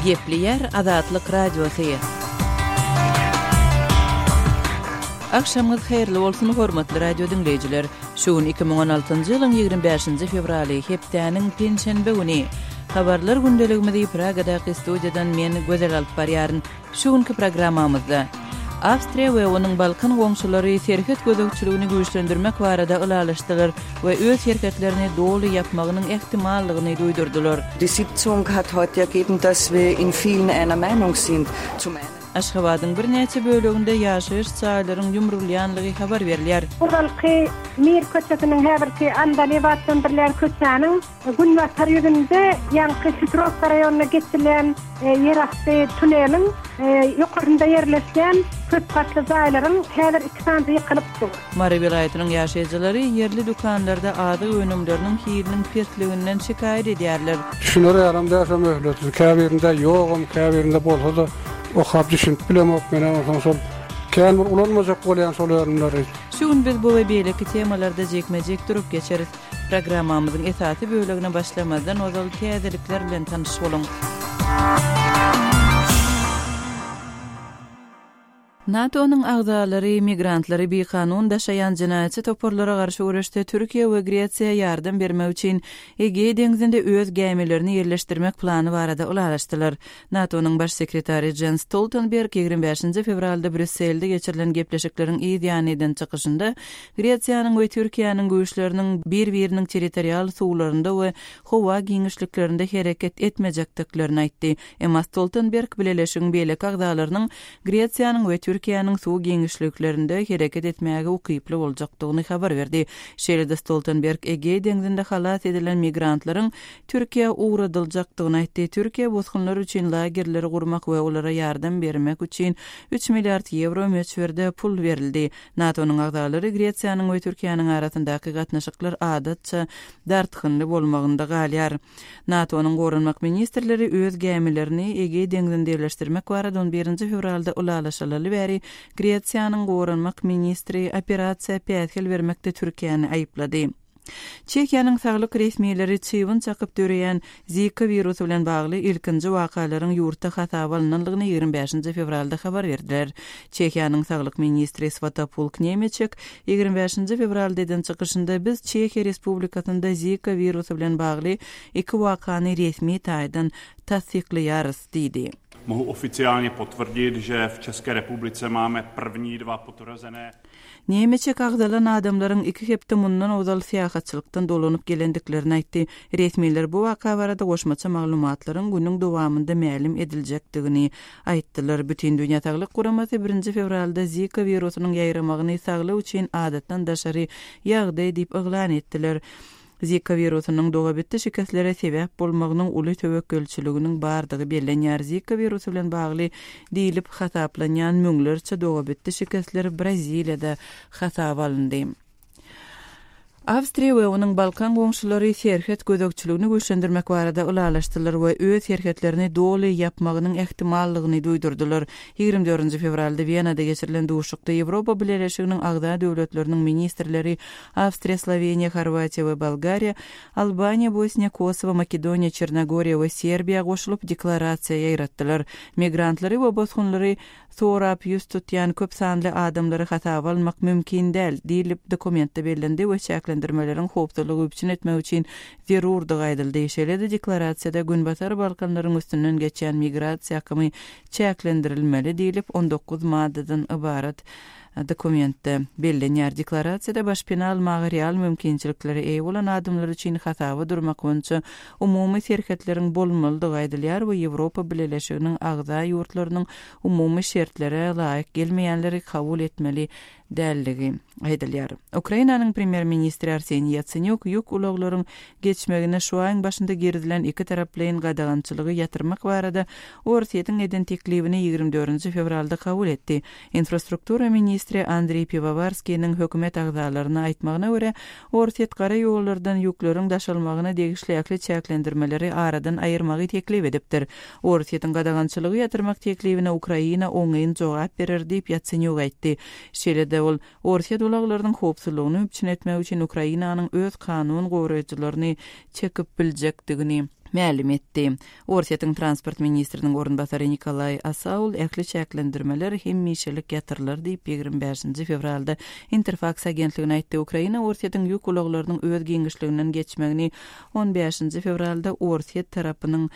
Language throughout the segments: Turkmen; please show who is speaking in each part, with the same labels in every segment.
Speaker 1: Gepleýär Azatlyk Radiosy. Agşamyňyz haýyrly bolsun, hormatly radio diňleýjiler! Şu gün 2016-njy ýylyň 25-nji fewraly, hepdäniň penşenbe güni. Habarlar gündeligimizi Pragadaky studiýadan men, Gözel alyp barýaryn. Şu günki programmamyzda Awstriýa we onuň Balkan goňşulary serhet gözegçiligini güýçlendirmek barada ylalaşdylar we öz serhetlerini doly ýapmagynyň ähtimallygyny duýdurdylar.
Speaker 2: Die Sitzung hat heute ergeben, dass wir in vielen einer Meinung sind. Zum einen.
Speaker 1: Aşgabadyň birnäçe böleginde ýaşaýyş jaýlaryň ýumrulýanlygy habar berilýär.
Speaker 3: Ozalky Mir köçesiniň häzirki Andalyp atlandyrylýan köçäniň Günbatar ýüzünde ýaňky Hitrowka raýonynda geçilýän ýerasty tuneliň ýokarynda ýerleşýän köp gatly jaýlaryň häzir iki sanysy ýykylyp dur.
Speaker 1: Mary welaýatynyň ýaşaýjylary ýerli dükanlarda azyk önümleriniň hiliniň pesliginden şikaýat edýärler.
Speaker 4: Düşüner ýalam däl şo möhletli. Käbirinde ýogam, käbirinde bolsa-da okap düşünip bilemok menem onsoň şol kän bir ulanmajak bolýan şol önümleri.
Speaker 1: Şu gün biz bu we beýleki temalarda jikme-jik durup geçeris. Programmamyzyň esasy bölegine başlamazdan ozal täzelikler bilen tanyş boluň. NATO-nyň agzalary migrantlary bikanun daşaýan jenaýatçy toparlara garşy göreşde Türkiýe we Gresiýa ýardam bermek üçin Egeý deňzinde öz gämilerini ýerleşdirmek plany barada ylalaşdylar. NATO-nyň Baş sekretary Jens Stoltenberg 25-nji fewralda Brýusselde geçirilen gepleşikleriň yz ýany eden çykyşynda Gresiýanyň we Türkiýäniň güýçleriniň bir-biriniň territorial suwlarynda we howa giňişliklerinde hereket etmejekdiklerini aýtdy. Emma Stoltenberg bileleşigiň beýleki agzalarynyň Gresiýanyň we Türkiýäniň suw giňişliklerinde hereket etmäge ukyply boljakdygyny habar berdi. Şeýle-de Stoltenberg Egeý deňzinde halas edilen migrantlaryň Türkiýä ugradyljakdygyny aýtdy. Türkiýe bosgunlar üçin lagerleri gurmak we olara ýardam bermek üçin üç milliard ýewro möçberde pul berildi. NATO-nyň agzalary Gresiýanyň we Türkiýäniň arasyndaky gatnaşyklar adatça dartgynly bolmagynda galýar. NATO-nyň goranmak ministrleri öz gämilerini Egeý deňzinde ýerleşdirmek barada on birinji fewralda ylalaşylaly bäri Gresiýanyň goranmak ministri operasiýa päsgel bermekde Türkiýäni aýyplady. Çehiýanyň saglyk resmileri çybyn çakyp döreýän Zika wirusy bilen bagly ilkinji wakalaryň ýurtda hasaba alnandygyny 25 fewralda habar berdiler. Çehiýanyň saglyk ministri Swatopulk Nemeçek 25 fewralda eden çykyşynda biz Çehiýa Respublikasynda Zika wirusy bilen bagly iki wakany resmi taýdan tassyklaýarys diýdi.
Speaker 5: Mohu oficiálně potvrdit, že v České republice máme první dva potvrzené.
Speaker 1: Nemeçek agzalan adamlaryň iki hepde mundan ozal syýahatçylykdan dolanyp gelendiklerini aýtdy. Resmiler bu waka barada goşmaça maglumatlaryň günüň dowamynda mälim ediljekdigini aýtdylar. Bütindünýä saglyk guramasy birinji fewralda Zika wirusynyň ýaýramagyny saglyk üçin adatdan daşary ýagdaý diýip yglan etdiler. Zika wirusynyň dogabitdi şikeslere sebäp bolmagynyň uly töwekgelçiliginiň bardygy bellenýär. Zika wirusy bilen bagly diýlip hasaplanýan müňlerçe dogabitdi şikesler Braziliýada hasaba alyndy. Awstriýa we onuň Balkan goňşulary serhet gözegçiligini güýçlendirmek barada ylalaşdylar we öz serhetlerini doly ýapmagynyň ähtimallygyny duýdurdylar. 24 fewralda Wenada geçirilen duşuşykda Ýewropa Bileleşiginiň agza döwletleriniň ministrleri Awstriýa, Sloweniýa, Horwatiýa we Bolgariýa, Albaniýa, Bosniýa, Kosowo, Makedoniýa, Çernogoriýa we Serbiýa goşulyp, deklarasiýa ýaýratdylar. Migrantlary we bosgunlary sorap ýüz tutýan köp sanly adamlary hasaba almak mümkin däl, diýlip, dokumentde bellendi we çäklendirmeleriň howpsuzlygy üpjün etmek üçin zerurdygy aýdyldy. Şeýle-de deklarasiýada Günbatar Balkanlaryň üstünden geçýän migrasiýa akymy çäklendirilmeli diýlip, 19 maddadan ybarat Dokumentde bellenýär. Deklarasiýada başpena almaga real mümkinçiliklere eýe bolan adamlar üçin hasaba durmak boýunça umumy serhetleriň bolmalydygy aýdylýar we Ýewropa Bileleşiginiň agza ýurtlarynyň umumy şertlere laýyk gelmeýänleri kabul etmeli däldigi aýdylýar. Ukrainanyň premýer-ministri Arseniý Ýatsenýuk ýük ulaglaryň geçmegine şu aýyň başynda girizilen ikitaraplaýyn gadagançylygy ýatyrmak barada Orsýetiň eden teklibini 24 fewralda kabul etdi. Infrastruktura ministri Andreý Piwowarskiniň hökümet agzalaryna aýtmagyna görä, Orsýet gara ýollardan ýükleriň daşalmagyna degişli ähli çäklendirmeleri aradan aýyrmagy teklip edipdir. Orsýetiň gadagançylygy ýatyrmak teklibine Ukraina oňyn jogap berer diýip, Ýatsenýuk aýtdy. Şeýle-de ol, Orsýet ulaglarynyň howpsuzlygyny üpjün etmek üçin Ukrainanyň öz kanun goraýjylaryny çekip biljekdigini. Mälim etdi. Orsýetiň transport ministriniň orunbasary Nikolaý Asaul ähli çäklendirmeler hemişelik ýatyrylar diýip, 25-nji fewralda Interfaks agentligine aýtdy. Ukraina Orsýetiň ýük ulaglarynyň öz giňişliginden geçmegini on bäşinji fewralda Orsýet tarapynyň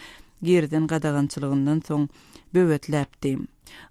Speaker 1: girizen gadagançylygyndan soň böwetläpdi.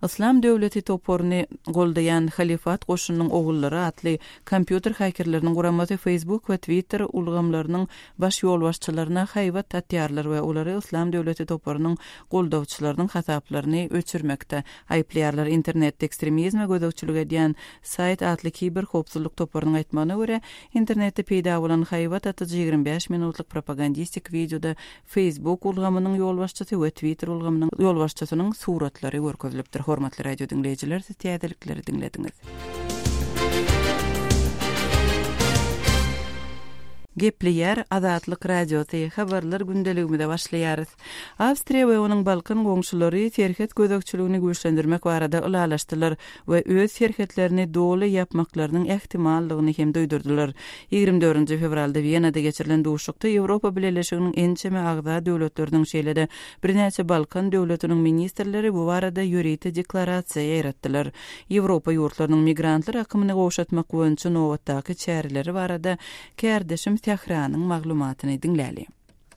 Speaker 1: Yslam döwleti toparyny goldaýan Halyfat goşunynyň ogullary atly kompýuter hakerleriniň guramasy Facebook we Twitter ulgamlarynyň baş ýolbaşçylaryna haýbat atýarlar we olary Yslam döwleti toparynyň goldawçylarynyň hasaplaryny öçürmekde aýyplaýarlar. Internetde ekstremizme gözegçilik edýän Saýt atly kiber howpsuzlyk toparynyň aýtmagyna görä, internetde peýda bolan haýbat atyjy 25 minutlyk propagandistik wideoda Facebook ulgamynyň ýolbaşçysy we Twitter ulgamynyň ýolbaşçysynyň suratlary görkezilipdir. Hormatly radio diňleýjiler, siz täzelikleri diňlediňiz. Gepleýär Azatlyk Radiosy, Habarlar gündeligimize başlaýarys. Awstriýa we onuň Balkan goňşulary serhet gözegçiligini güýçlendirmek barada ylalaşdylar. we öz serhetlerini doly ýapmaklarynyň ähtimallygyny hem duýdurdylar. 24 fewralda Wenada geçirilen duşuşykda Ýewropa Bileleşiginiň ençeme agza döwletleriniň, şeýle-de birnäçe Balkan döwletiniň ministrleri bu barada ýörite deklarasiýa ýaýratdylar. Ýewropa ýurtlarynyň migrantlar akymyny gowşatmak boýunça nobatdaky çäreleri barada kärdeşim Sähranyň maglumatyny diňläli.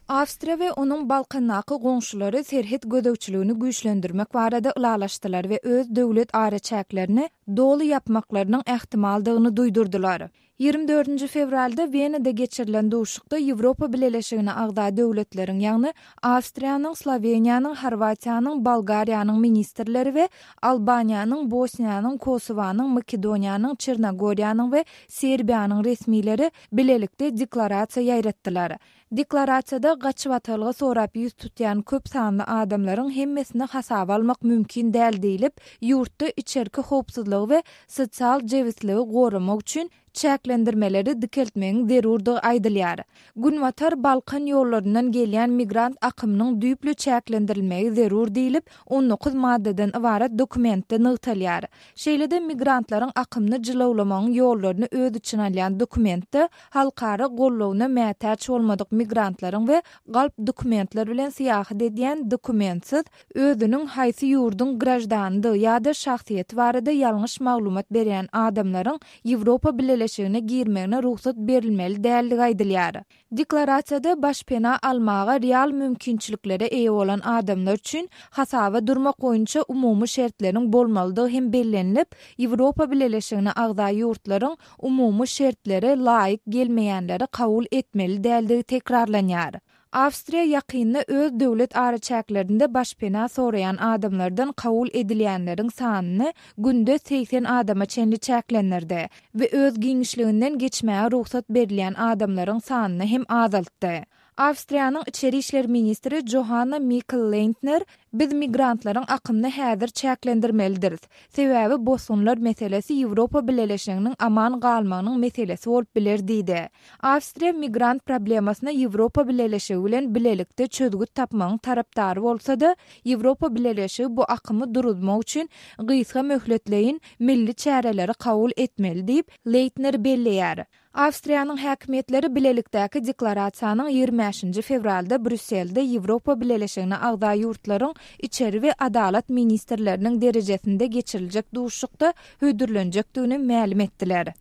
Speaker 6: Awstriýa we onuň Balkandaky goňşulary serhet gözegçiligini güýçlendirmek barada ylalaşdylar we öz döwlet araçäklerini doly ýapmaklarynyň ähtimaldygyny duýdurdylar. 24 fewralda Wenada geçirilen duşuşykda Ýewropa Bileleşigine agza döwletleriň, ýagny Awstriýanyň, Sloweniýanyň, Horwatiýanyň, Bolgariýanyň ministrleri we Albaniýanyň, Bosniýanyň, Kosowanyň, Makedoniýanyň, Çernogoriýanyň we Serbiýanyň resmileri bilelikde deklarasiýa ýaýratdylar. Deklarasiýada gaçybatalga sorap ýüz tutýan köp sanly adamlaryň hemmesini hasaba almak mümkin däl diýlip, ýurtda içerki howpsuzlygy we sosial jebisligi goramak üçin çäklendirmeleri dikeltmegiň zerurdygy aýdylýar. Günbatar Balkan ýollaryndan gelýän migrant akymynyň düýpli çäklendirilmegi zerur diýlip, 19 maddadan ybarat dokumentde nygtalýar. Şeýle-de migrantlaryň akymyny jylawlamagyň ýollaryny öz içine alýan dokumentde halkara goldawyna mätäç bolmadyk migrantlaryň we galp dokumentler bilen syýahat edýän dokumentsiz, özüniň haýsy ýurduň graždanydygy ýa-da şahsyýeti barada ýalňyş maglumat berýän adamlaryň Ýewropa Bileleşigine girmegine rugsat berilmeli däldigi aýdylýar. Deklarasiýada başpena almaga real mümkinçiliklere eýe bolan adamlar üçin hasaba durmak boýunça umumy şertleriň bolmalydygy hem bellenilip, Ýewropa Bileleşigine agza ýurtlaryň umumy şertlere laýyk gelmeýänleri kabul etmeli däldigi tekrarlanýar. Awstriýa ýakynda öz döwlet araçäklerinde başpena soraýan adamlardan kabul edilýänleriň sanyny günde 80 adama çenli çäklendirdi we öz giňişliginden geçmäge rugsat berilýän adamlaryň sanyny hem azaltdy. Awstriýanyň içeri işler ministri Johanna Mikl-Leýntner, Biz migrantlaryň akymyny häzir çäklendirmelidiris. Sebäbi bosgunlar meselesi Ýewropa Bileleşiginiň aman galmagynyň meselesi bolup biler diýdi. Awstriýa migrant problemasyna Ýewropa Bileleşigi bilen bilelikde çözgüt tapmagyň tarapdary bolsa-da, Ýewropa Bileleşigi bu akymy duruzmak üçin gysga möhletleýin milli çäreleri kabul etmeli diýip, Leýtner belleýär. Awstriýanyň häkimiýetleri bilelikdäki deklarasiýanyň 25-nji fewralda Brýusselde Ýewropa Bileleşigine agza ýurtlaryň içeri we adalat ministrleriniň derejesinde geçiriljek duşuşykda hödürlenjekdigini mälim etdiler.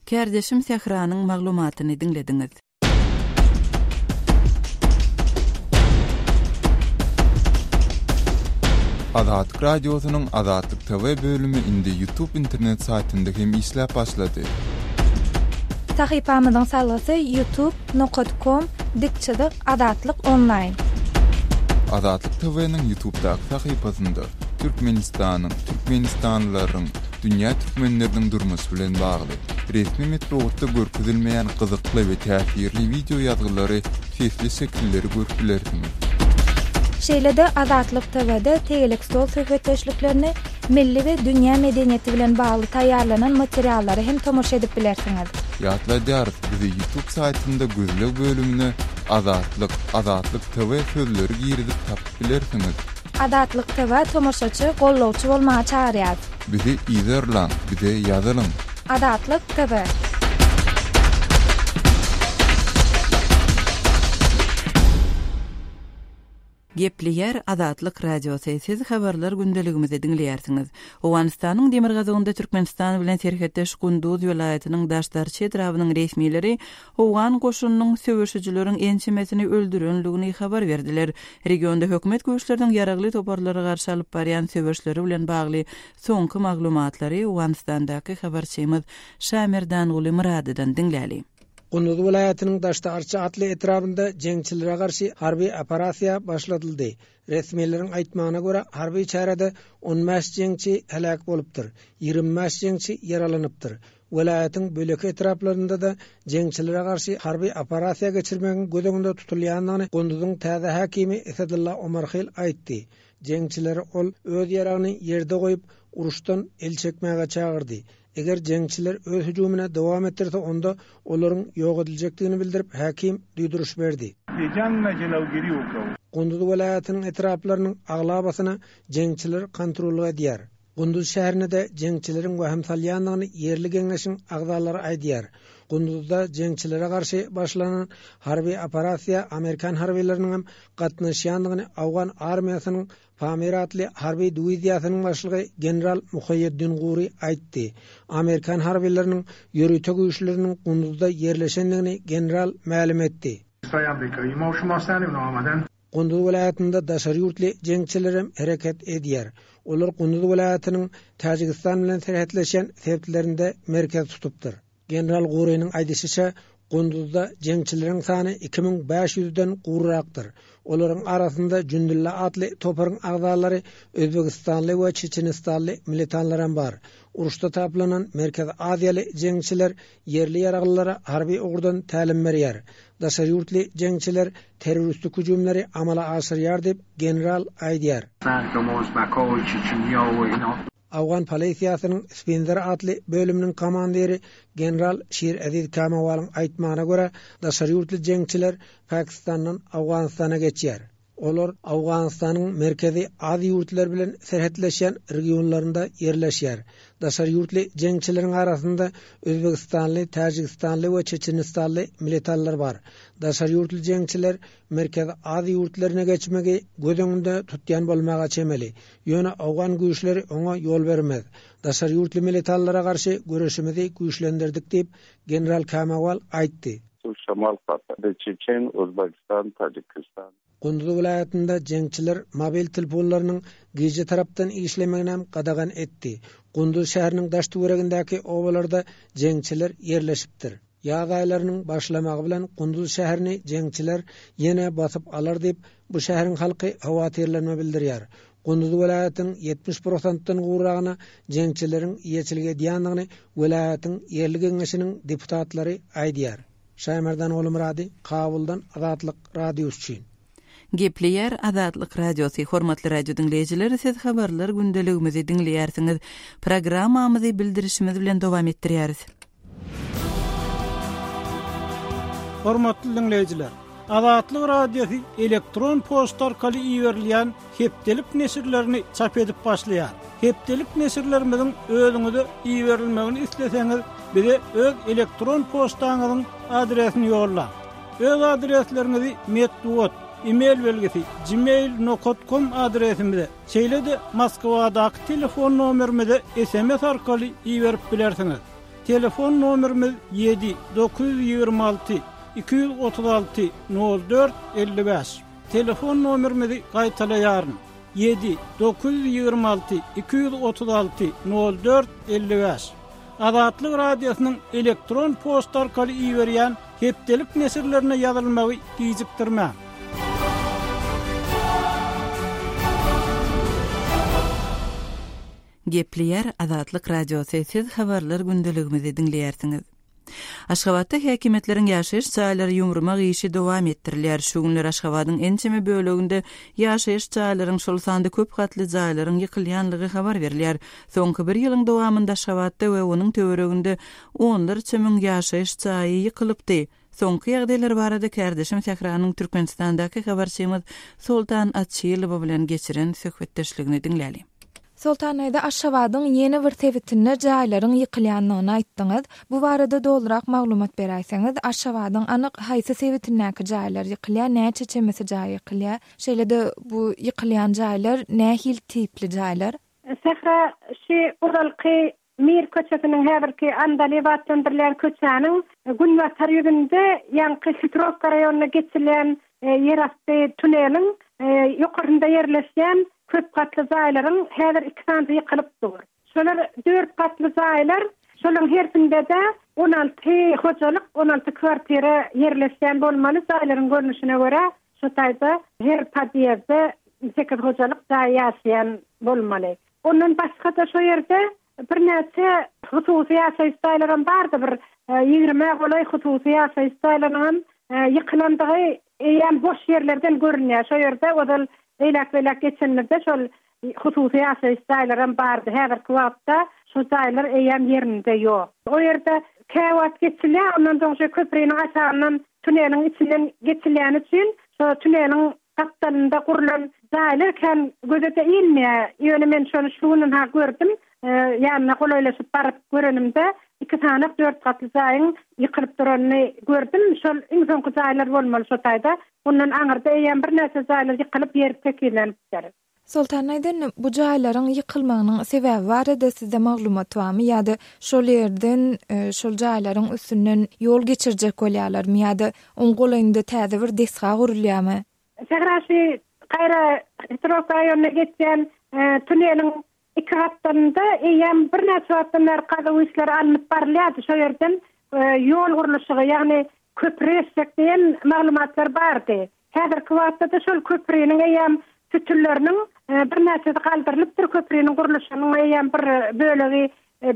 Speaker 1: Kärdeşim Sähranyň maglumatyny diňlediňiz.
Speaker 7: Azatlyk Radiosynyň Azatlyk TV bölümi indi YouTube internet saýtynda hem işläp başlady.
Speaker 6: Sahypamyzyň salgysy youtube nokat kom dik çyzyk azatlyk onlaýn.
Speaker 7: Azatlyk TV-niň YouTube'daky sahypasynda Türkmenistanyň, türkmenistanlylaryň, dünýä türkmenleriniň durmuşy bilen bagly, resmi metbugatda görkezilmeýän gyzykly we täsirli wideo ýazgylary, sesli şekilleri görüp bilersiňiz.
Speaker 6: Şeýle-de Azatlyk TW-de tegelek stol söhbetdeşliklerini, milli we dünýä medeniýeti bilen bagly taýýarlanan materiallara hem tomaşa edip bilersiňiz.
Speaker 7: Ýatladýarys, bizi YouTube saýtynda gözleg bölümine Azatlyk, Azatlyk TV sözleri girizip tapyp bilersiňiz.
Speaker 6: Azatlyk TV tomaşaçy, gollawçy bolmaga çagyrýar.
Speaker 7: Bizi yzarlaň, bize ýazylyň.
Speaker 6: Azatlyk TV.
Speaker 1: Gepleýär Azatlyk Radiosy, Siz Habarlar gündeligimizi diňleýärsiňiz. Owganystanyň demirgazygynda Türkmenistan bilen serhetdeş Gunduz welaýatynyň Daşdarçy etrabynyň resmileri owgan goşunynyň söweşijileriň ençemesini öldürenligini habar berdiler. Regionda hökümet güýçleriniň ýaragly toparlara garşy alyp barýan söweşleri bilen bagly soňky maglumatlary Owganystandaky habarçymyz Şamerdanguly Myradydan diňläli.
Speaker 8: Gunduz welaýatynyň Daşda-Arça atly etrabynda jeňçilere garşy harby operasiýa başladyldy. Resmileriň aýtmagyna görä, harby çärede 15 jeňçi heläk bolupdyr, 25 jeňçi ýaralanypdyr. Welaýatyň beýleki etraplarynda-da jeňçilere garşy harby operasiýa geçirmegiň göz öňünde tutulýandygyny Gunduzyň täze häkimi Esedulla Omarhil aýtdy. Jeňçileri ol öz ýaragyny ýerde goýup, uruşdan el çekmäge çagyrdy. Eger jeňçiler öz hüjümine dowam etdirse onda olaryň ýok ediljekdigini bildirip häkim duýduryş berdi. Gunduz welaýatynyň etraplarynyň aglabasyna jeňçiler kontrollyk edýär. Gunduz şäherine-de jeňçileriň wehim salýandygyny ýerli geňeşiň agzalary aýdýar. Gunduzda jeňçilere garşy başlanan harby operasiýa amerikan harbylarynyňam gatnaşýandygyny owgan armiýasynyň Pamir atly harby diwiziýasynyň başlygy general Muhaýeddin Guri aýtdy. Amerikan harbylarynyň ýörite güýçleriniň Gunduzda ýerleşendigini general mälim etdi. Gunduz welaýatynda daşary ýurtly jeňçilerem hereket edýär. Olar Gunduz welaýatynyň Täjigistan bilen serhetleşýän sebitlerinde merkez tutupdyr. General Gurynyň aýdyşyça, Gunduzda jeňçileriň sany 2500-den gowrakdyr. Olaryň arasynda Jündulla atly toparyň agzalary, özbegistanly we çeçenistanly militanlaram bar. Uruşda taplanan merkezi aziýaly jeňçiler ýerli ýaraglylara harby ugurdan tälim berýär. Daşary ýurtly jeňçiler terroristik hüjümleri amala aşyrýar diýip, general aýdýar. Owgan polisiýasynyň Spinzer atly bölüminiň komandiri general Şir Eziz Kamawalyň aýtmagyna görä, daşary ýurtly jeňçiler Pakistandan Owganystana geçýär. Olar Owganystanyň Merkezi Aziýa ýurtlary bilen serhetleşýän regionlarynda ýerleşýär. Daşary ýurtly jeňçileriň arasynda özbegistanly, täjigistanly we çeçenistanly militanlar bar. Daşary ýurtly jeňçiler Merkezi Aziýa ýurtlaryna geçmegi göz öňünde tutýan bolmaga çemeli. Ýöne owgan güýçleri oňa ýol bermez. Daşary ýurtly militanlara garşy göreşimizi güýçlendirdik diýip, general Kamawal aýtdy. Gunduz welaýatynda jeňçiler mobil telefonlarynyň gije tarapdan işlemeginem gadagan etdi. Gunduz şäheriniň daş-töweregindäki obalarda jeňçiler ýerleşipdir. Ýaz aýlarynyň başlamagy bilen Gunduz şäherini jeňçiler ýene basyp alar diýip, bu şäheriň halky howatyrlanma bildirýär. Gunduz welaýatynyň 70 prosentden gowragyna jeňçileriň eýeçilik edýändigini welaýatyň ýerli geňeşiniň deputatlary aýdýar. Şaýmerdan Gulumyrady, Kabuldan Azatlyk Radiosy üçin.
Speaker 1: Gepleýär Azatlyk Radiosy, Hormatly radio diňleýjiler, siz habarlar gündeligimizi diňleýärsiňiz. Programmamyzy bildirişimiz bilen dowam etdirýäris.
Speaker 9: Hormatly diňleýjiler! Azatlyk Radiosy elektron poçta arkaly iberilýän hepdelik neşirlerini çap edip başlaýar. Hepdelik neşirlerimiziň özüňize iberilmegini isleseňiz, bize öz elektron poçtaňyzyň adresini ýollaň. Öz adresleriňizi metbugat, e-mail belgisi, gmail nokat kom adresimize, şeýle-de Moskwadaky telefon nomerimize sms arkaly iberip bilersiňiz. Telefon nomerimiz ýedi, 926, 236, 04, 55. Telefon nomerimizi gaýtalaýaryn, ýedi, 926, 236, 04, 55. Azatlyk Radiosynyň elektron poçta arkaly iberýän hepdelik neşirlerine ýazylmagy gijikdirmäň.
Speaker 1: Gepleýär Azatlyk Radiosy, siz habarlar gündeligimizi diňleýärsiňiz. Aşgabatda häkimiýetleriň ýaşaýyş jaýlary ýumurmak işi dowam etdirilýär. Şu günler Aşgabadyň ençeme böleginde ýaşaýyş jaýlaryň, şol sanda köp gatly jaýlaryň ýykylýanlygy habar berilýär. Soňky bir ýylyň dowamynda Aşgabatda we onuň töwereginde onlarça müň ýaşaýyş jaýy ýykylypdy. Soňky ýagdaýlar barada kärdeşim Sähranyň Türkmenistandaky habarçymyz Soltan Açylowa bilen geçiren söhbetdeşligini diňläliň.
Speaker 6: Soltan daýza, Aşgabadyň ýene bir sebitinde jaýlaryň ýykylýandygyny aýtdyňyz. Bu barada dolurak maglumat beräýseňiz? Aşgabadyň anyk haýsy sebitindäki jaýlar ýykylýar, näçe çemesi jaý ýykylýar? Şeýle-de bu ýykylýan jaýlar nähili tipli jaýlar?
Speaker 3: Sähra, şu ozalky Mir köçesiniň häzirki Andalyp atlandyrylýan köçäniň günbatar ýüzünde ýaňky Hitrowka raýonyna geçilýän ýerasty tuneliň ýokarsynda ýerleşýän köp gatly jaýlaryň häzir iki sanysy ýykylyp dur. Şolar dört gatly jaýlar, şolaryň hersinde-de 16 hojalyk, 16 kwartira ýerleşýän bolmaly jaýlaryň görnüşine görä şu taýda her podýezdde sekiz hojalyk jaý ýaşaýan bolmaly. Ondan başga-da şo ýerde birnäçe hususy ýaşaýyş jaýlaram bardy, bir ýigrimä golaý hususy ýaşaýyş jaýlarynyňam ýykylandygy eýýäm boş ýerlerden görünýär. Şo ýerde ozal eýläk-beýläk geçenimizde şol hususy ýaşaýyş jaýlaram bardy. Häzirki wagtda şo jaýlar eýýäm ýerinde ýok. O ýerde käwagt geçilýär, ondan soň şo köpriniň aşagyndan tuneliň içinden geçilýäni üçin şo tuneliň Gapdalynda gurlan jaýlar kän göze-de ilmeýär. Ýöne men şony şu gün-ha gördüm. Ýanyna golaýlaşyp baryp görenimde, iki sanak dört gatly jaýyň ýykylyp duranyny gördüm. Şol iň soňky jaýlar bolmaly şo taýda. Ondan aňyrda eýýäm birnäçe jaýlar ýykylyp, ýer tekizlenipdir.
Speaker 6: Soltan aýdan, bu jaýlaryň ýykylmagynyň sebäbi barada sizde maglumat barmy ýa-da şol ýerden şol jaýlaryň üstünden ýol geçirjek bolýarlarmy ýa-da oň golaýynda täze bir desga gurulýarmy?
Speaker 3: Sähra şu gaýra Hitrowka raýonyna geçýän tuneliň iki gapdalynda eýýäm birnäçe wagtdan bäri gazuw işleri alnyp barylýardy. Şo ýerden ýol gurluşygy, ýagny köpri geçjek diýen maglumatlar bardy. Häzirki wagtda-da şol köpriniň eýýäm sütünleriniň birnäçesi galdyrylypdyr, köpriniň gurluşygynyň eýýäm bir bölegi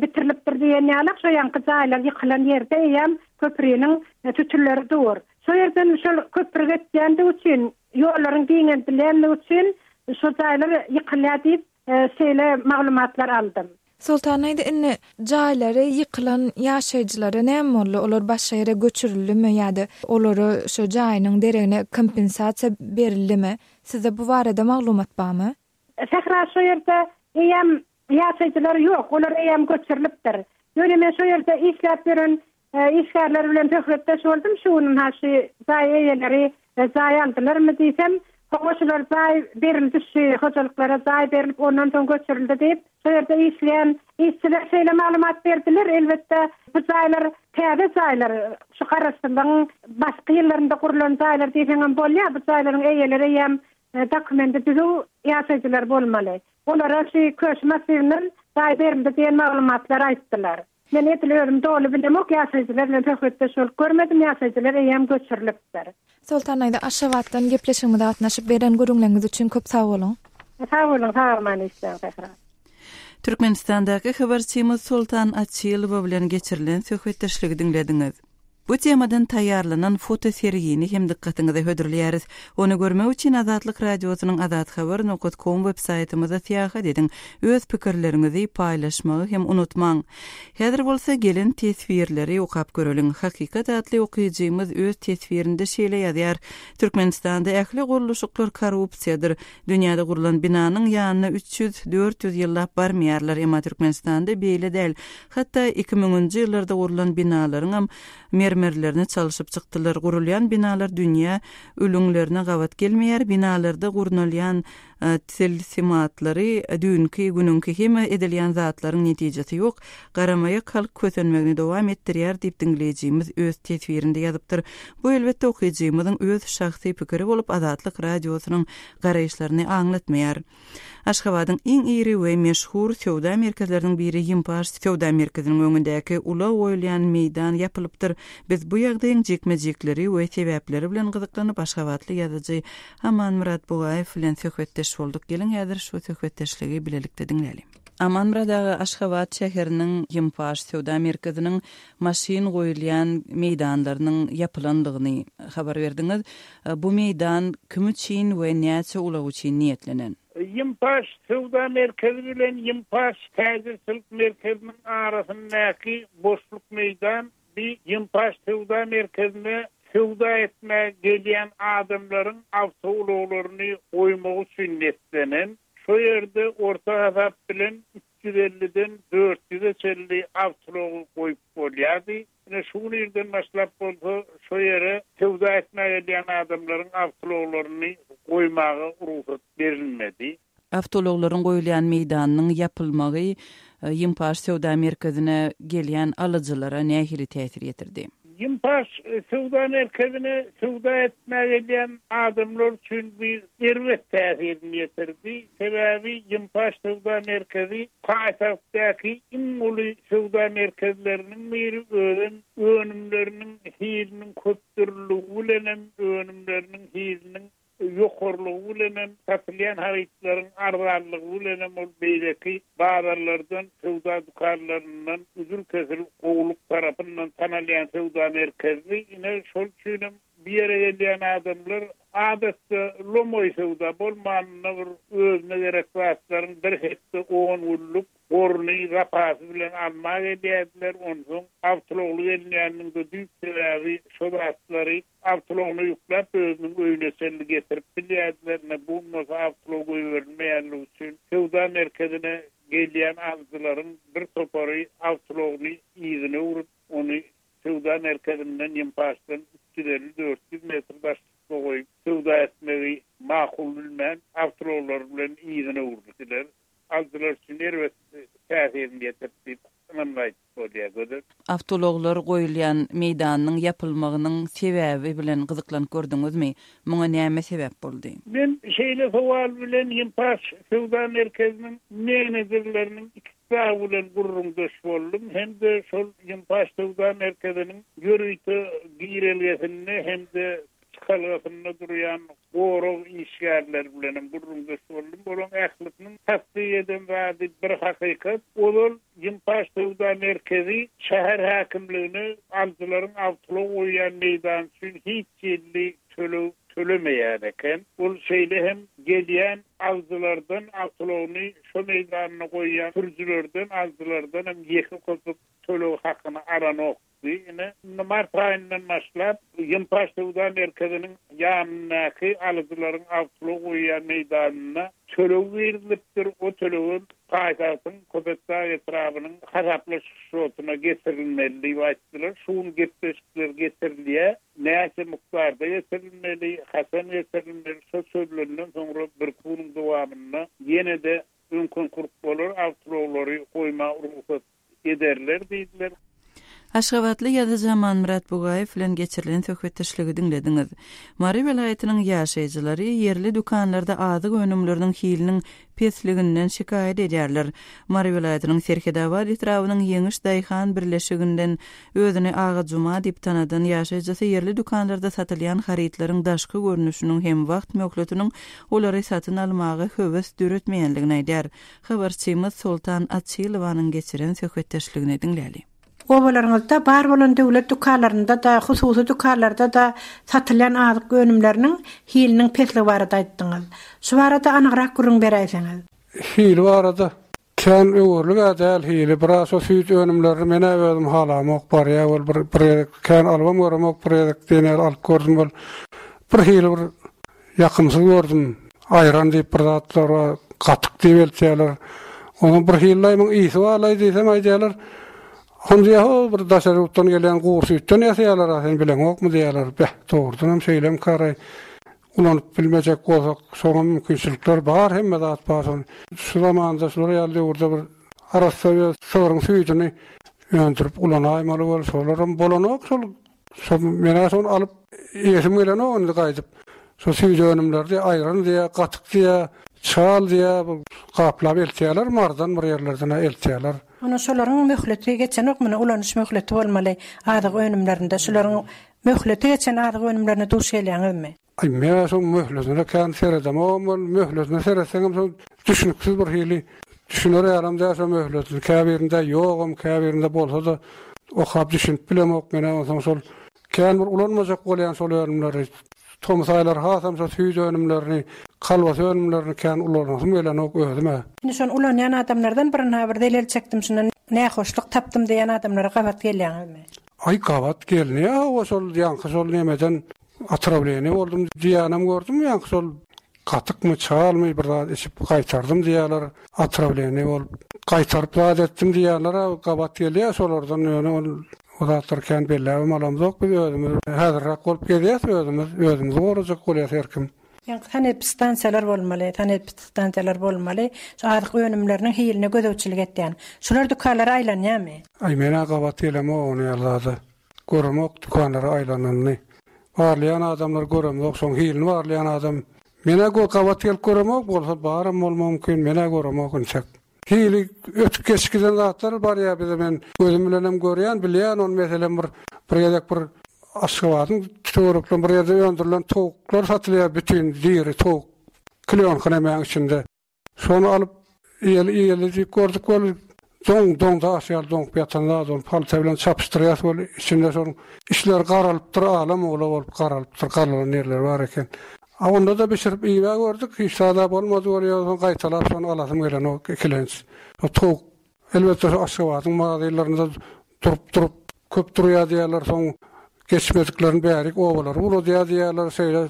Speaker 3: bitirilipdir diýen ýalak, şo ýaňky jaýlar ýykylan ýerde eýýäm köpriniň sütünleri dur. Şo ýerden şol köpri geçýändigi üçin, ýollaryň giňeldilýändigi üçin şo jaýlar ýykylýar diýip, Şeýle maglumatlar aldym.
Speaker 6: Soltan aýda indi jaýlary ýykylan ýaşaýjylara näme boldy? Olar başga ýere göçürildimi ýa-da olara şo jaýynyň deregine kompensasiýa berildimi? Sizde bu barada maglumat barmy?
Speaker 3: Sähra şo ýerde eýýäm ýaşaýjylar ýok, olar eýýäm göçürilipdir. Ýöne men şo ýerde işläp ýören Işgärler bilen söhbetdeş boldum şu gün ynha şu jaý eýeleri jaý aldylarmy diýsem, hawa şular jaý berildi şu hojalyklara jaý berlip ondan soň göçürildi diýip, şo ýerde işleýän işçiler şeýle maglumat berdiler, elbetde bu jaýlar täze jaýlar şu garaşsyzlygyň başky ýyllarynda gurlan jaýlar diýseňem bolýar, bu jaýlaryň eýeleri eýýäm dokumendi düzüw ýaşaýjylar bolmaly. Olara şu Köşi massiwinden jaý berildi diýen maglumatlary aýtdylar. Men edil özüm doly bilemok, ýaşaýjylar bilen söhbetdeş bolup görmedim, ýaşaýjylar eýýäm göçürilipdir.
Speaker 6: Soltan daýza Aşgabatdan gepleşigimize gatnaşyp beren gürrüňleriňiz üçin köp sag boluň.
Speaker 3: Sag boluň, sag-aman işläň Sähra.
Speaker 1: Türkmenistandaky habarçymyz Soltan Açylowa bilen geçirilen söhbetdeşligi diňlediňiz. Bu temadan taýýarlanan fotosergini hem dykgatyňyza hödürleýäris. Ony görmek üçin Azatlyk Radiosynyň azathabar nokat kom websaýtymyza syýahat ediň. Öz pikirleriňizi paýlaşmagy hem unutmaň. Häzir bolsa gelen teswirleri okap göreliň. Hakykat atly okyjymyz öz teswirinde şeýle ýazýar, Türkmenistanda ähli gurluşyklar korrupsiýadyr. Dünýäde gurlan binanyň ýanyna 300, 400 ýyllap barmaýarlar, emma Türkmenistanda beýle däl. Hatda iki müňünji ýyllarda gurlan binalaryňam mermerlerini çalşyp çykdylar. Gurulýan binalar dünýä ülňülerine gabat gelmeýär. Binalarda gurnalýan tilsimatlary düýnki günüňki hem edilýän zatlaryň netijesi ýok. Garamaýak halk kösenmegini dowam etdirýär diýip diňleýjimiz öz teswirinde ýazypdyr. Bu elbetde okyjymyzyň öz şahsy pikiri bolup Azatlyk Radiosynyň garaýyşlaryny aňlatmaýar. Aşgabadyň iň iri we meşhur söwda merkezleriniň biri Ýimpaş söwda merkeziniň öňündäki ulag goýulýan meýdan ýapylypdyr. Biz bu ýagdaýyň jikme-jikleri we sebäpleri bilen gyzyklanyp aşgabatly ýazyjy Amanmyrat Bugaýew bilen söhbetdeş bolduk. Geliň häzir şu söhbetdeşligi bilelikde diňläliň. Amanmyrat aga Aşgabat şäheriniň Ýimpaş söwda merkeziniň maşyn goýulýan meýdanlarynyň ýapylandygyny habar berdiňiz. Bu meýdan kim üçin we näçe ulag üçin niýetlenen?
Speaker 10: Ýimpaş söwda merkezi bilen Ýimpaş täjirçilik merkeziniň arasyndaky boşluk meýdan bi Ýimpaş söwda merkezine söwda etmäge gelýän adamlaryň awtoulaglaryny goýmagy üçin netlenen. Şo ýerde orta hasap bilen 350-den 400-e çenli awtoulagy goýup bolýardy. Ine, şu gün irden başlap bolsa, şo ýere söwda etmäge gelýän adamlaryň awtoulaglaryny goýmaga rugsat berilmedi.
Speaker 1: Awtoulaglaryň goýulýan meýdanynyň ýapylmagy Ýimpaş söwda merkezine gelýän alyjylara nähili täsir ýetirdi?
Speaker 10: Ýimpaş söwda merkezine söwda etmäge gelýän adamlar üçin bu erbet täsirini ýetirdi. Sebäbi Ýimpaş söwda merkezi paýtagtdaky iň uly söwda merkezleriniň biri, özem önümleriniň hiliniň köpdürlüligi bilenem, önümleriniň hiliniň ýokarylygy bilenem, satylýan harytlaryň arzanlygy bilenem ol beýleki bazarlardan, söwda dükanlaryndan üzül-kesil gowulyk tarapyndan tanalýan söwda merkezidi. Ine, şol üçinem bu ýere gelýän adamlar adatça lomaý söwda bolmanynda bir özüne gerek zatlaryň bir hepde, on günlük goruny zapasy bilen almaga gelýärdiler. Onsoň awtoulagly gelinýäniniň-de düýp sebäbi şo zatlary Awtoulagyna ýükläp özüniň öýüne çenli getirip bilýärdiler. Ine, bu gün bolsa awtoulag goýberilmeýänligi üçin söwda merkezine gelýän alyjylaryň bir topary awtoulagyny yzyna öwrüp, ony söwda merkezinden Ýympaşdan 350-400 metr daşlykda goýup, söwda etmegi makul bilmän, awtoulaglary bilen yzyna öwrüldiler. Alyjylar üçin erbet täsirini ýetirdi diýip, ynamly aýdyp bolýar, Gözel.
Speaker 1: Awtoulaglar goýulýan meýdanynyň ýapylmagynyň sebäbi bilen gyzyklanyp gördüňizmi? Muňa näme sebäp boldy?
Speaker 10: Men şeýle sowal bilen Ýimpaş söwda merkeziniň menejerleriniň ikisi dagy bilen gürrüňdeş boldum hem-de şol Ýimpaş söwda merkeziniň ýörite girelgesinde hem-de çykalgasynda durýan gorag işgärleri bilenem gürrüňdeş boldum. Olaryň ählisiniň tassyk eden zady bir hakykat, ozal Ýimpaş söwda merkezi şäher häkimligine alyjylaryň awtoulag goýýan meýdany üçin hiç hili töleg tölemeýän eken. Ol şeýle hem gelýän alyjylardan awtoulagyny şo meýdanda goýýan sürüjilerden, alyjylardan hem ýeke köpük töleg hakyny alanok. Ine, indi mart aýyndan başlap, Ýympaş söwda merkeziniň ýanyndaky alyjylaryň awtoulag goýýan meýdanynda töleg girizilipdir, o tölegem paýtagtyň Köpetdag etrabynyň hasaplaşyk şotuna getirilmeli diýip aýtdylar. Şu gün gepleşikler geçirilýär. Näçe mukdarda getirilmeli, haçan getirilmeli, şo çözülenden soňra birki günüň dowamynda ýene-de öňkünki bolar, awtoulaglary goýmaga rugsat ederler diýdiler.
Speaker 1: Aşgabatly ýazyjy Amanmyrat Bugaýew bilen geçirilen söhbetdeşligi diňlediňiz. Mary welaýatynyň ýaşaýjylary ýerli dükanlarda azyk önümleriniň hiliniň pesliginden şikaýat edýärler. Mary welaýatynyň Serhedabat etrabynyň Ýeňiş daýhan birleşiginden özüni Aga Juma diýip tanadan ýaşaýjysy ýerli dükanlarda satylýan harytlaryň daşky görnüşiniň hem wagt möhletiniň olary satyn almaga höwes döretmeýänligini aýdýar. Habarçymyz Soltan Açylowanyň geçiren söhbetdeşligini diňläli.
Speaker 3: Obalaryňyzda bar bolan döwlet dükanlarynda-da, hususy dükanlarda-da satylýan azyk önümleriniň hiliniň pesligi barada aýtdyňyz. Şu barada anygrak gürrüň beräýseňiz.
Speaker 4: Hili barada kän öwerlig-ä däl hili. Biraz şo süýt önümlerini men-ä özüm halamok. Barýa bol bir bir gezek kän alybam göremok, bir gezek diýen ýaly alyp gördüm bol. Bir hili bir Ýakymsyz gördüm. Aýran diýip bir zatlar bar, gatyk diýip eltýärler. Onuň bir hili muň ysy barlaý diýsem aýdýarlar. Ony diýýär, ho bir daşary ýurtdan gelýän gury süýtden ýasaýarlar-a, sen bileňokmy diýýärler. Beh, dogrudanam şeýlemikaraý. Ulanyp bilmejek bolsak, şoňa mümkinçilikler bar, hemme zat bar şony. Şu zamanda, şular ýaly döwürde bir arassa öz sygryň süýdüni öndürip ulanaýmaly bol, şolaram bolanok şol Şo men-ä şony alyp iýesim gelenok indi gaýdyp. Şo süýt önümleri diýýä, aýran diýýä, gatyk diýýä, çal diýýä, bu gaplap eltýärler Marydan bir ýerlerden-ä eltýärler.
Speaker 3: Onda şolaryň möhleti geçenok muny ulanyş möhleti bolmaly azyk önümlerinde şularyň möhleti geçen azyk önümlerine duş gelýäňizmi?
Speaker 4: Aý, men-ä şoň möhletine kän seredemogam weli, möhletine seretseňem şo düşnüksiz bir hili, düşüner ýalam däl şo möhletini. Käbirinde ýogam, käbirinde bolsa-da okap düşünip bilemok men-ä onsoň şol kän bir ulanmajak bolýan şol önümleri. Tomus aýlary hasam şo süýt önümlerini, kolbasa önümlerini kän ulanasym gelenok özüm-ä.
Speaker 3: Indi şony ulanýan adamlardan birin-ha bir zelel çekdim şundan nähoşluk tapdym diýen adamlara gabat gelýäňizmi?
Speaker 4: Aý, gabat gelinýär hawa şol ýaňky şol nemeden Otrawleniýe boldum diýýänem gördüm ýaňky şol. Gatykmy, çalmy bir zat içip gaýtardym diýýärler. Otrawleniýe bolup gaýtaryp zat etdim diýýänler-ä gabat gelýär şolardan ýöne ol o zatlary kän belläbem alamzok biz özümiz häzirräk bolup gezýäs özümiz özümizi gorajak bolýas her kim.
Speaker 3: Ýaňky sanepidstansiýalar bolmaly, sanepidstansiýalar bolmaly, şu azyk önümleriniň hiline gözegçilik etýän. Şular dükanlara aýlanýarmy?
Speaker 4: Aý men-ä gabat gelemok ony ýaly zada. Göremok dükanlara aýlananyny. Barlaýan adamlary göremzok, şoň hilini barlaýan adam men-ä gabat gelip göremok, bolsa baram bolmagy mümkin, men-ä göremok intek. Hili ötüp geçip giden zatlar barýar bize men gözüm bilenem görýän, bilýän ony meselem bir bir gezek bir Aşgabadyň töwereklerinde bir ýerde öndürilen towuklar satylýar bütin diri towuk klýonka nemäň içinde. Şony alyp iýeli iýeli diýip gördük weli doň doň daş ýaly doňup ýatan zat ony palta bilen çapyşdyrýas weli içinde şonuň içleri garalypdyr ala-mula bolup garalypdyr garalan ýerleri bar eken. A onda-da bişirip iýibä gördük hiç zada bolmady weli ýogsa gaýtalap şony alasym gelenok ikilenç. Şo towuk Elbetde şu Aşgabadyň magazinlerinde durup durup köp durýar diýýärler, soň geçmediklerini bärik obalara ugradýar diýýärler, şeýle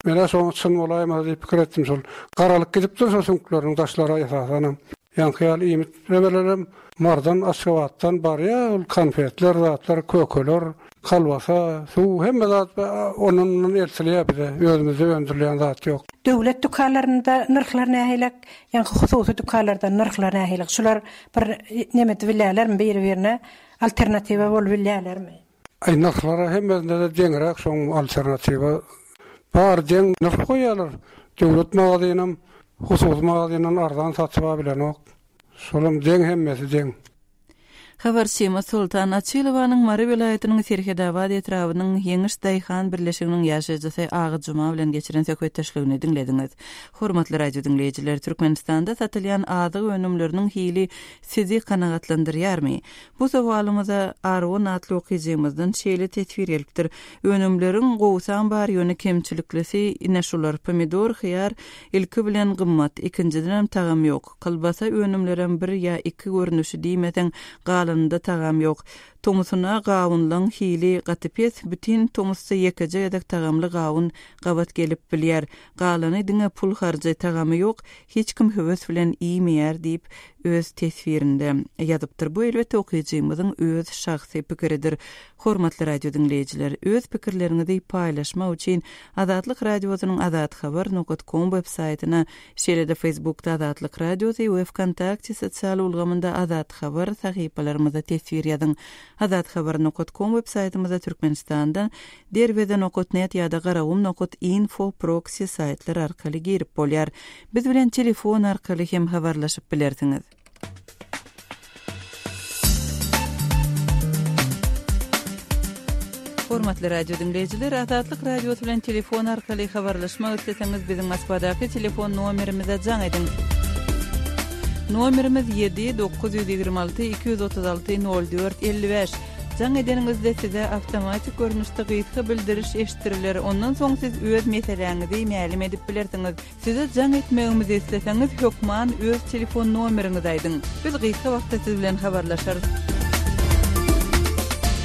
Speaker 4: men-ä şoň çyn bolaýmasa diýip pikir etdim şol garalyp gidipdir şo süňkleriniň daşlary esasanam. Ýaňky ýaly iýmit nemelerem Mardan Aşgabatdan barýar ol konfetler zatlar kökeler kolbasa suw hemme zat ondan mundan eltilýär bize özümizde öndürilýän zat ýok.
Speaker 3: Döwlet dükanlarynda nyrhlar nähilek? Ýaňky hususy dükanlarda nyrhlar nähili? Şular bir neme edip bilýärlermi, biri-birine alternatiwa bolup bilýärlermi?
Speaker 4: Aý nyrhlar-a hemmesinde-de deňräk şoň alternatiwa bary deň nyrh goýýarlar. Döwlet magazynam hususy magazyndan arzan satyp-a bilenok. Şolam deň hemmesi deň.
Speaker 1: Habarçymyz Soltan Açylowanyň Mary welaýatynyň Serhedabat etrabynyň Ýeňiş daýhan birleşiginiň ýaşaýjysy Aga Juma bilen geçiren söhbetdeşligini diňlediňiz. Hormatly radio diňleýjiler, Türkmenistanda satylýan azyk önümleriniň hili sizi kanagatlandyrýarmy? Bu sowalymyza Aron atly okyjymyzdan şeýle teswir gelipdir, Önümleriň gowusam bar, ýöne kemçiliklisi ine şular, pomidor, hyýar ilki bilen gymmat, ikinjidenem tagam ýok. Kolbasa önümlerem bir ýa iki görnüşi diýmeseň, galanynda tagam ýok. Tomusuna gawunlaň hili gaty pes, bütin tomusda ýekeje gezek tagamly gawun gabat gelip bilýär. Galany diňe pul harjy, tagamy ýok, hiç kim höwes bilen iýmeýär diýip, öz teswirinde ýazypdyr. Bu elbetde okyjymyzyň öz şahsy pikiridir. Hormatly radio diňleýjiler, öz pikirleriňizi paýlaşmak üçin Azatlyk Radiosynyň azathabar nokat kom web saýtyna Şeýle-de Facebookda Azatlyk Radiosy we Wkontakte sosial ulgamynda Azat Habar sahypalarymyzda teswir ýazyň. Azathabar nokat kom web saýtymyzda Türkmenistandan Derweze nokat net ýa-da Garagum nokat info proksi saýtlar arkaly girip bolýar. Biz bilen telefon arkaly hem habarlaşyp bilersiňiz. Hormatly radio diňleýjiler, Azatlyk Radiosy bilen telefon arkaly habarlaşmak isleseňiz, biziň Moskwadaky telefon nomerimize jaň ediň. Nomerimiz 7 926 236 04 55. Jaň edeniňizde size awtomatik görnüşde gysga bildiriş eşitdiriler. Ondan soň siz öz meseläňizi mälim edip bilersiňiz. Size jaň etmegimizi isleseňiz hökman öz telefon nomeriňizi aýdyň. Biz gysga wagtda siz bilen habarlaşarys.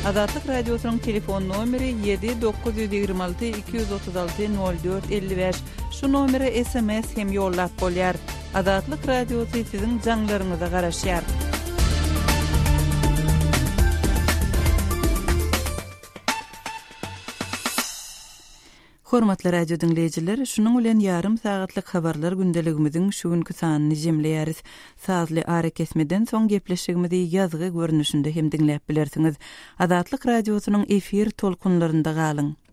Speaker 1: Azatlyk Radiosynyň telefon nomeri ýedi 926 236 04 55. Şu nomere sms hem ýollap bolýar. Azatlyk Radiosy siziň jaňlaryňyza garaşýar. Hormatly radio diňleýjiler, şunuň bilen ýarym sagatlyk habarlar gündeligimiziň şu günki sanyny jemleýäris. Sazly arakesmeden soň gepleşigimizi ýazgy görnüşinde hem diňläp bilersiňiz. Azatlyk Radiosynyň efir tolkunlarynda galyň!